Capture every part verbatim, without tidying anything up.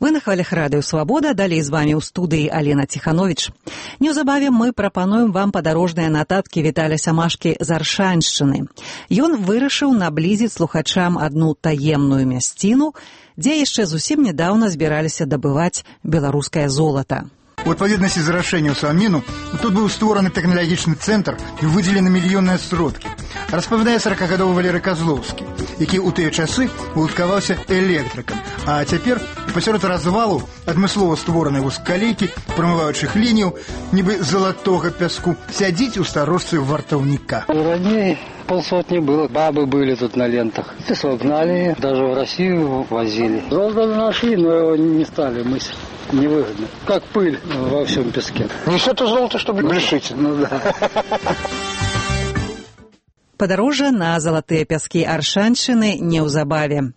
Вы на хвалях радыё «Свабода», далей з вамі ў студыі Алена Ціхановіч. Неўзабаве мы прапануем вам падарожныя нататкі Віталя Самашкі з Аршаншчыны. Ён вырашыў наблізіць слухачам адну таемную мясціну, дзе яшчэ зусім нядаўна збіраліся дабываць беларускае золата. У адпаведнасці з рашэннем Саміну тут быў створаны тэхналагічны цэнтр і выдзелены мільённыя сродкі. Распавядае саракагадовы Валерый Казлоўскі, які ў тыя часы уладкаваўся электрыкам, а цяпер пасярод развалу адмыслова створанай вузкалейкі, прамываючых лінію, нібы залатога пяску, сядзіць у старожцы вартаўніка. Раней полсотни было, бабы были тут на лентах. И согнали, даже в Россию возили. Золото нашли, но его не стали мыслить. Невыгодно. Как пыль во всем песке. Не все то золото, чтобы грешить. Ну да. Падарожжа на залатыя пяскі Аршаншчыны неўзабаве.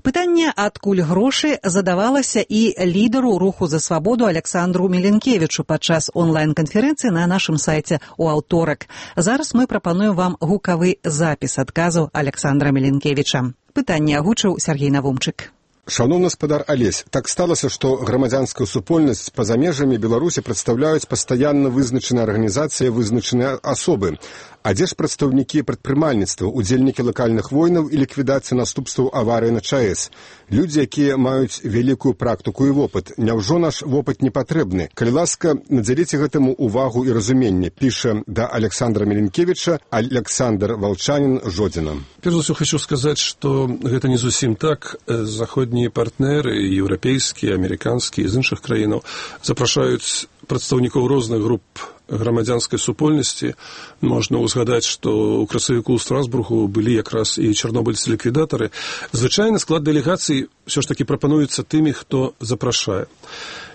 Пытанне, адкуль грошы, задавалася і лідару руху за свабоду Александру Міленкевічу падчас онлайн-канферэнцыі на нашым сайце ў аўторак. Зараз мы прапануем вам гукавы запіс адказу Александра Міленкевіча. Пытанне агучыў Сергей Навумчык. Шановны гаспадар Алесь, так сталася, што грамадзянская супольнасць па-за межамі Беларусі прадстаўляюць пастаянна вызначаныя арганізацыі, вызначаныя асобы. А дзе ж прадстаўнікі прадпрымальніцтва, удзельнікі лакальных войнаў і ліквідацыі наступстваў аварыі на ЧАЭС? Людзі, якія маюць вялікую практыку і вопыт. Няўжо наш вопыт не патрэбны? Калі ласка, надзяліце гэтаму увагу і разуменне, піша да Александра Міленкевіча Александр Волчанин Жодзіна. Перш за ўсё хочу сказаць, што гэта не зусім так. Заходнія партнеры, еўрапейскія, амерыканскія, з іншых краінаў запрашаюць прадстаўнікоў розных груп грамадзянскай супольнасці. Можна ўзгадаць, што ў красавіку ў Страсбургу былі якраз і чарнобыльцы-ліквідатары. Звычайна склад дэлегацый ўсё ж такі прапануецца тымі, хто запрашае.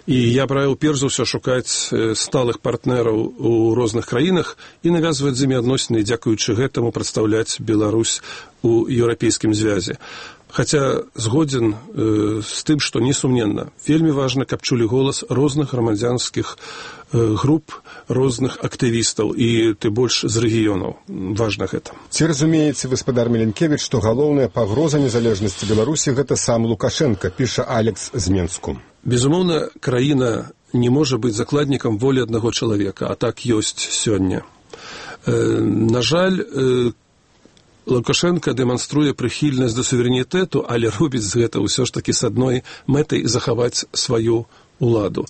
І я б раіў перш за ўсё шукаць сталых партнераў у розных краінах і навязваць з імі адносіны, дзякуючы гэтаму прадстаўляць Беларусь у еўрапейскім звязе. Хаця згодзін э, з тым, што несумненна, вельмі важна, каб чулі голас розных грамадзянскіх э, груп, розных актывістаў і ты больш з рэгіёнаў. Важна гэта. Ці разумееце, гаспадар Міленкевіч, што галоўная пагроза незалежнасці Беларусі гэта сам Лукашенко, піша Алекс з Менску. Безумоўна, краіна не можа быць закладнікам волі аднаго чалавека, а так ёсць сёння. Э, на жаль, э, Лукашенко дэманструе прыхільнасць да суверэнітэту, але робіць з гэта ўсё ж такі з адной мэтай захаваць сваю уладу.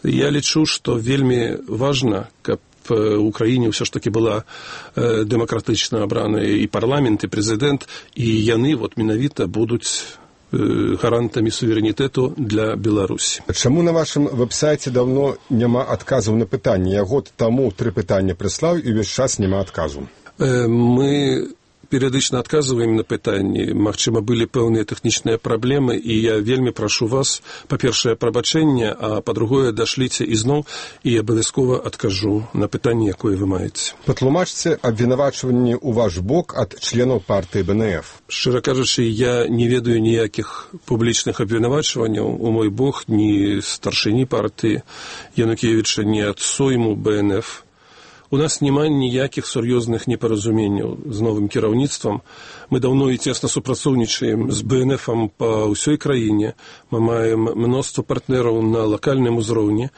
Я лічу, што вельмі важна, каб у краіне ўсё ж такі была э, дэмакратычна абрана і парламент, і прэзідэнт, і яны вот менавіта будуць э, гарантамі суверэнітэту для Беларусі. Чаму на вашым вэб-сайце даўно няма адказаў на пытанне? Я год таму тры пытання прыслаў, і ўвесь час няма адказу. Э, мы перыядычна адказваем на пытанні. Магчыма, былі пэўныя тэхнічныя праблемы, і я вельмі прашу вас, па-першае, прабачэнне, а па-другое, дашліце ізноў, і абавязкова адкажу на пытанне, якое вы маеце. Патлумачце абвінавачванні ў ваш бок ад членаў партыі Бэ Эн Эф. Шчыра кажучы, я не ведаю ніякіх публічных абвінавачванняў у мой бок, ні старшыні партыі Янукевіча, ні ад сойму Бэ Эн Эф. У нас няма ніякіх сур'ёзных непаразуменняў з новым кіраўніцтвам. Мы даўно і цесна супрацоўнічаем з Бэ Эн Эфам па ўсёй краіне. Мы маем мноства партнераў на лакальным узроўні.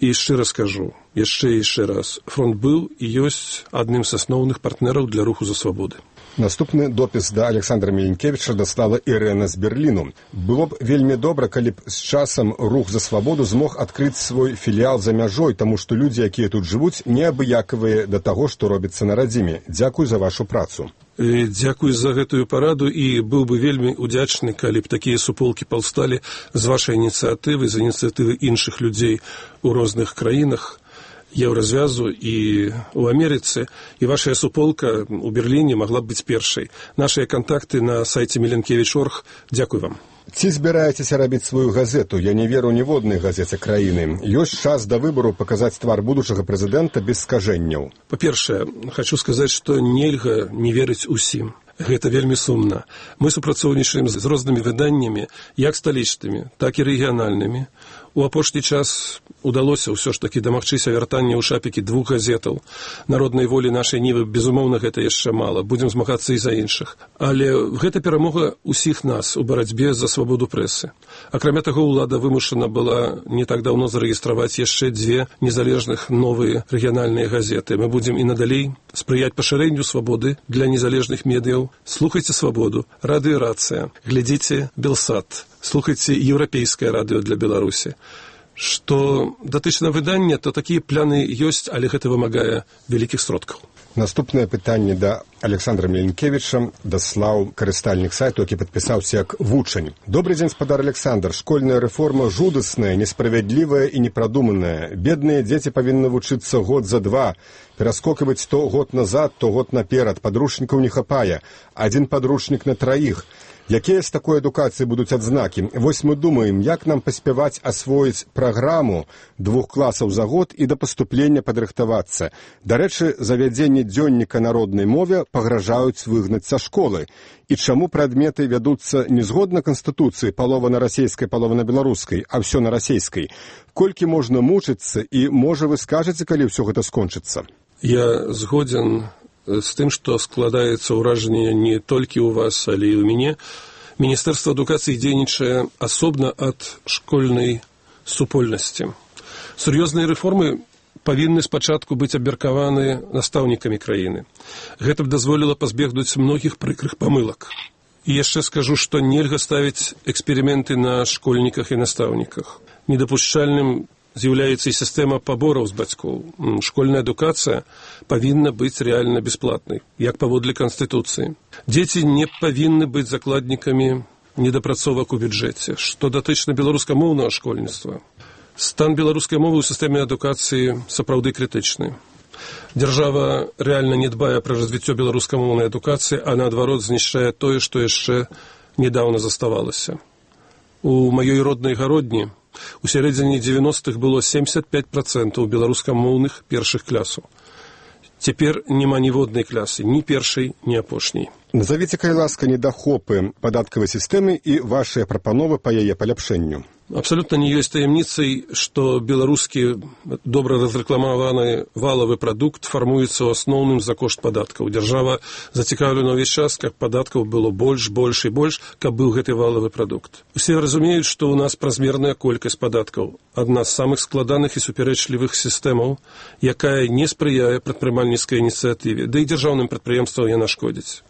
І шчыра скажу, яшчэ і яшчэ раз, фронт быў і ёсць адным з асноўных партнераў для руху за свабоды. Наступны допіс да Александра Міленкевіча даслала Ірэна з Берліну. Было б вельмі добра, калі б з часам рух за свабоду змог адкрыць свой філіял за мяжой, таму што людзі, якія тут жывуць, неабыякавыя да таго, што робіцца на радзіме. Дзякуй за вашу працу. Дзякуй за гэтую параду і быў бы вельмі удзячны, калі б такія суполкі паўсталі з вашай ініцыятывы, з ініцыятывы іншых людзей у розных краінах Еўразвязу і ў Амерыцы, і вашая суполка ў Берліне магла б быць першай. Нашыя кантакты на сайце міленкевіч точка орг. Дзякуй вам. Ці збіраецеся рабіць сваю газету? Я не веру ніводнай газеце краіны. Ёсць час да выбару паказаць твар будучага прэзідэнта без скажэнняў. Па-першае, хочу сказаць, што нельга не верыць усім. Гэта вельмі сумна. Мы супрацоўнічаем з рознымі выданнямі, як сталічнымі, так і рэгіянальнымі, У апошні час удалося ўсё ж такі дамагчыся вяртання ў шапікі двух газетаў. Народнай волі нашай нівы, безумоўна, гэта яшчэ мала. Будзем змагацца і за іншых. Але гэта перамога ўсіх нас у барацьбе за свабоду прэсы. Акрамя таго, улада вымушана была не так даўно зарэгістраваць яшчэ дзве незалежных новыя рэгіянальныя газеты. Мы будзем і надалей спрыяць пашырэнню свабоды для незалежных медыяў. Слухайце свабоду, радыёрацыя, глядзіце Белсат. Слухайце еўрапейскае радыё для Беларусі. Што датычна выдання, то такія пляны ёсць, але гэта вымагае вялікіх сродкаў. Наступнае пытанне да Александра Меленкевіча даслаў карыстальнік сайту, які падпісаўся як вучань. Добрый дзень, спадар Александр. Школьная рэформа жудасная, несправядлівая і непрадуманая. Бедныя дзеці павінны вучыцца год за два, пераскокваць то год назад, то год наперад. Падручнікаў не хапае. Адзін падручнік на траіх. Якія з такой адукацыі будуць адзнакі? Вось мы думаем, як нам паспяваць асвоіць праграму двух класаў за год і да паступлення падрыхтавацца. Дарэчы, завядзенне дзённіка народнай мове пагражаюць выгнаць са школы. І чаму прадметы вядуцца не згодна Канстытуцыі, палова на расейскай, палова на беларускай, а ўсё на расейскай? Колькі можна мучыцца і, можа, вы скажаце, калі ўсё гэта скончыцца? Я згодзен з тым, што складаецца ўражанне не толькі ў вас, але і ў мяне. Міністэрства адукацыі дзейнічае асобна ад школьнай супольнасці. Сур'ёзныя рэформы павінны спачатку быць абмеркаваны настаўнікамі краіны. Гэта б дазволіла пазбегнуць многіх прыкрых памылак. І яшчэ скажу, што нельга ставіць эксперыменты на школьніках і настаўніках. Недапушчальным з'яўляецца і сістэма пабораў з бацькоў. Школьная адукацыя павінна быць рэальна бясплатнай, як паводле Канстытуцыі. Дзеці не павінны быць закладнікамі недапрацовак у бюджэце. Што датычна беларускамоўнага школьніцтва, стан беларускай мовы ў сістэме адукацыі сапраўды крытычны. Дзяржава рэальна не дбае пра развіццё беларускамоўнай адукацыі, а наадварот знішчае тое, што яшчэ недаўна заставалася. У маёй роднай гародні у сярэдзіне дзевяностых было семьдесят пять процентов беларускамоўных першых класаў. Цяпер няма ніводнай класы, ні першай, ні апошняй. Назавіце, калі ласка, недахопы падаткавай сістэмы і вашыя прапановы па яе паляпшэнню. Абсалютна не ёсць таямніцай, што беларускі добра разрэкламаваны валавы прадукт фармуецца ў асноўным за кошт падаткаў. Дзяржава зацікаўлена ўвесь час, каб падаткаў было больш, больш і больш, каб быў гэты валавы прадукт. Усе разумеюць, што ў нас празмерная колькасць падаткаў. Адна з самых складаных і супярэчлівых сістэмаў, якая не спрыяе прадпрымальніцкай ініцыятыве, да і дзяржаўным прадпрыемствам яна шкодзіць.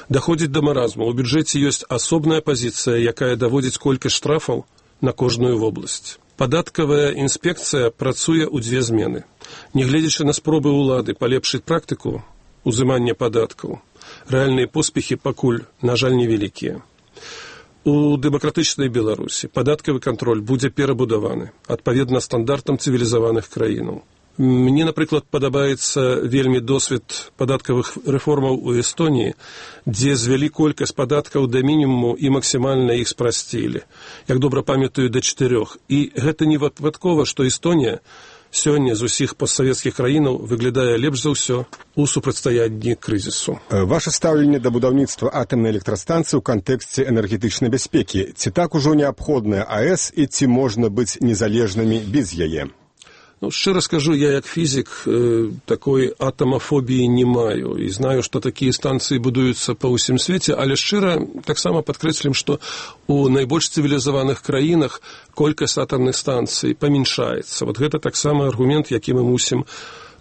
Даходзіць да маразму. У бюджэце ёсць асобная пазіцыя, якая даводзіць колькасць штрафаў на кожную вобласць. Падаткавая інспекцыя працуе ў дзве змены. Нягледзячы на спробы ўлады палепшыць практыку узымання падаткаў, рэальныя поспехі пакуль, на жаль, невялікія. У дэмакратычнай Беларусі падаткавы кантроль будзе перабудаваны адпаведна стандартам цывілізаваных краінаў. Мне, напрыклад, падабаецца вельмі досвед падаткавых рэформаў у Эстоніі, дзе звялі колькасць падаткаў да мінімуму і максімальна іх спрасцілі. Як добра памятаю, да чатырох. І гэта не выпадкова, што Эстонія сёння з усіх постсавецкіх краінаў выглядае лепш за ўсё у супрацьстаянні крызісу. Ваше стаўленне да будаўніцтва атамнай электрастанцыі ў кантэксце энергетычнай бяспекі. Ці так ужо неабходная АЭС і ці можна быць незалежнымі без яе? Ну, шчыра скажу, я як фізік э, такой атамафобіі не маю і знаю, што такія станцыі будуюцца па ўсім свеце, але шчыра таксама падкрэслім, што у найбольш цывілізаваных краінах колькасць атамных станцый памяншаецца. Вот гэта таксама аргумент, які мы мусім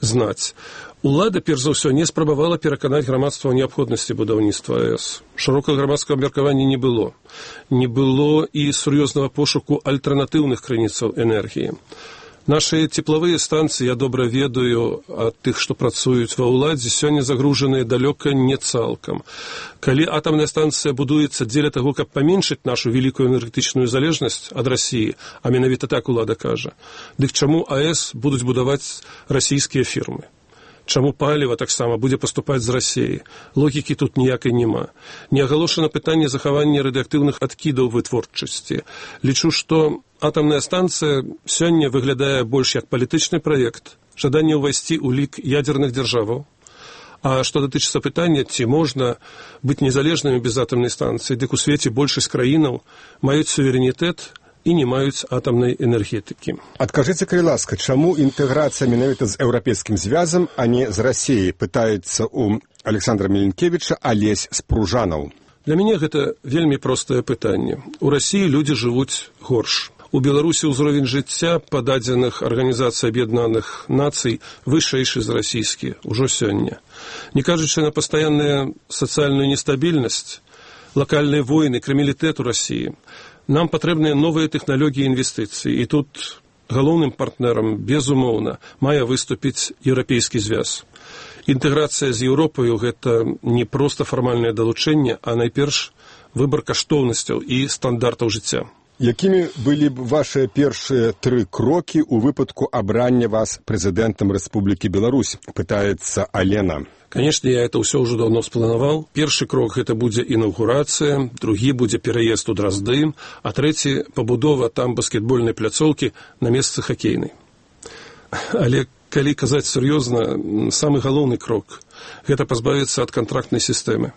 знаць. Улада, перш за ўсё, не спрабавала пераканаць грамадства ў неабходнасці будаўніцтва АЭС. Шырокага грамадскага абмеркавання не было. Не было і сур'ёзнага пошуку альтэрнатыўных крыніцаў энергіі. Нашы цеплавыя станцыі, я добра ведаю ад тых, што працуюць ва ўладзе, сёння загружаныя далёка не цалкам. Калі атамная станцыя будуецца дзеля таго, каб паменшыць нашу вялікую энергетычную залежнасць ад Расіі, а менавіта так улада кажа, дык чаму АЭС будуць будаваць расійскія фірмы? Чаму паліва таксама будзе паступаць з Расіі? Логікі тут ніякай няма. Не агалошана пытанне захавання радыеактыўных адкідаў вытворчасці. Лічу, што атамная станцыя сёння выглядае больш як палітычны праект, жаданне ўвайсці ў лік ядзерных дзяржаваў. А што датычыцца пытання, ці можна быць незалежнымі без атамнай станцыі, дык у свеце большасць краінаў маюць суверэнітэт і не маюць атамнай энергетыкі. Адкажыце, калі ласка, чаму інтэграцыя менавіта з еўрапейскім звязам, а не з Расіяй, пытаецца у Александра Міленкевіча Алесь Спружанаў. Для мяне гэта вельмі простае пытанне. У Расіі людзі жывуць горш. У Беларусі ўзровень жыцця па дадзеных Арганізацыі Аб'яднаных Нацый вышэйшы за расійскі ўжо сёння. Не кажучы на пастаянную сацыяльную нестабільнасць, лакальныя войны, крымілітэт у Расіі, нам патрэбныя новыя тэхналогіі інвестыцый. І тут галоўным партнерам, безумоўна, мае выступіць еўрапейскі звяз. Інтэграцыя з Еўропаю – гэта не проста фармальнае далучэнне, а найперш выбар каштоўнасцяў і стандартаў жыцця. Якімі былі б вашыя першыя тры крокі ў выпадку абрання вас прэзідэнтам Рэспублікі Беларусь, пытаецца Алена. Конечно, я это ўсё ўжо даўно спланаваў. Першы крок – гэта будзе інаўгурацыя, другі будзе пераезд у Дразды, а трэці – пабудова там баскетбольнай пляцоўкі на месцы хакейнай. Але калі казаць сур'ёзна, самы галоўны крок – гэта пазбавіцца ад кантрактнай сістэмы,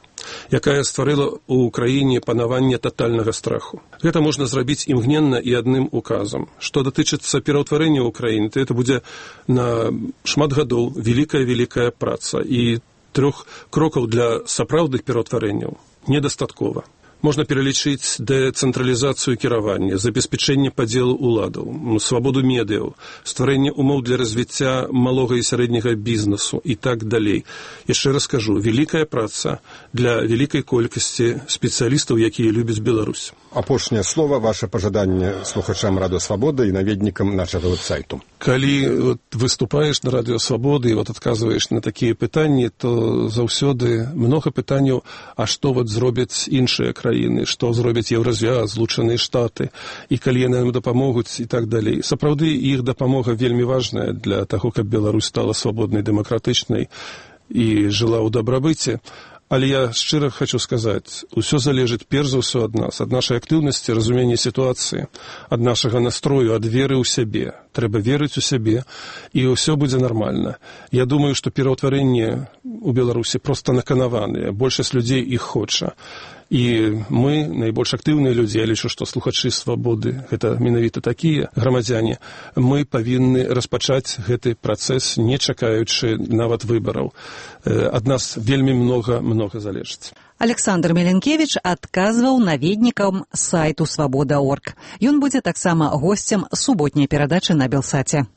якая стварыла ў краіне панаванне татальнага страху. Гэта можна зрабіць імгненна і адным указам. Што датычыцца пераўтварэння ўкраіны, то это будзе на шмат гадоў вялікая-вялікая праца, і трох крокаў для сапраўдных пераўтварэнняў недастаткова. Можна пералічыць дэцэнтралізацыю кіравання, забеспячэнне падзелу ўладаў, свабоду медыяў, стварэнне умоў для развіцця малога і сярэдняга бізнесу і так далей. Яшчэ раз кажу, вялікая праца для вялікай колькасці спецыялістаў, якія любяць Беларусь. Апошняе слова, ваше пажаданне слухачам Радыё Свабода і наведнікам нашага веб-сайту. Калі вот, выступаеш на Радыё Свабоды і вот, адказваеш на такія пытанні, то заўсёды многа пытанняў, а што вот, зробяць іншыя краіны, што зробяць Еўразвяз, Злучаныя Штаты, і калі яны нам дапамогуць і так далей. Сапраўды, іх дапамога вельмі важная для таго, каб Беларусь стала свабоднай, дэмакратычнай і жыла ў дабрабыце. Але я шчыра хочу сказаць, усё залежыць перш за ўсё ад нас, ад нашай актыўнасці, разумення сітуацыі, ад нашага настрою, ад веры ў сябе. Трэба верыць у сябе, і ўсё будзе нармальна. Я думаю, што пераўтварэнне у Беларусі проста наканаваныя, большасць людзей іх хоча. І мы, найбольш актыўныя людзі, я лічу, што слухачы Свабоды, гэта менавіта такія грамадзяне, мы павінны распачаць гэты працэс, не чакаючы нават выбараў. Ад нас вельмі многа-многа залежыць. Александр Міленкевіч адказваў наведнікам сайту свабода точка орг. Ён будзе таксама госцем суботняй перадачы на Белсаце.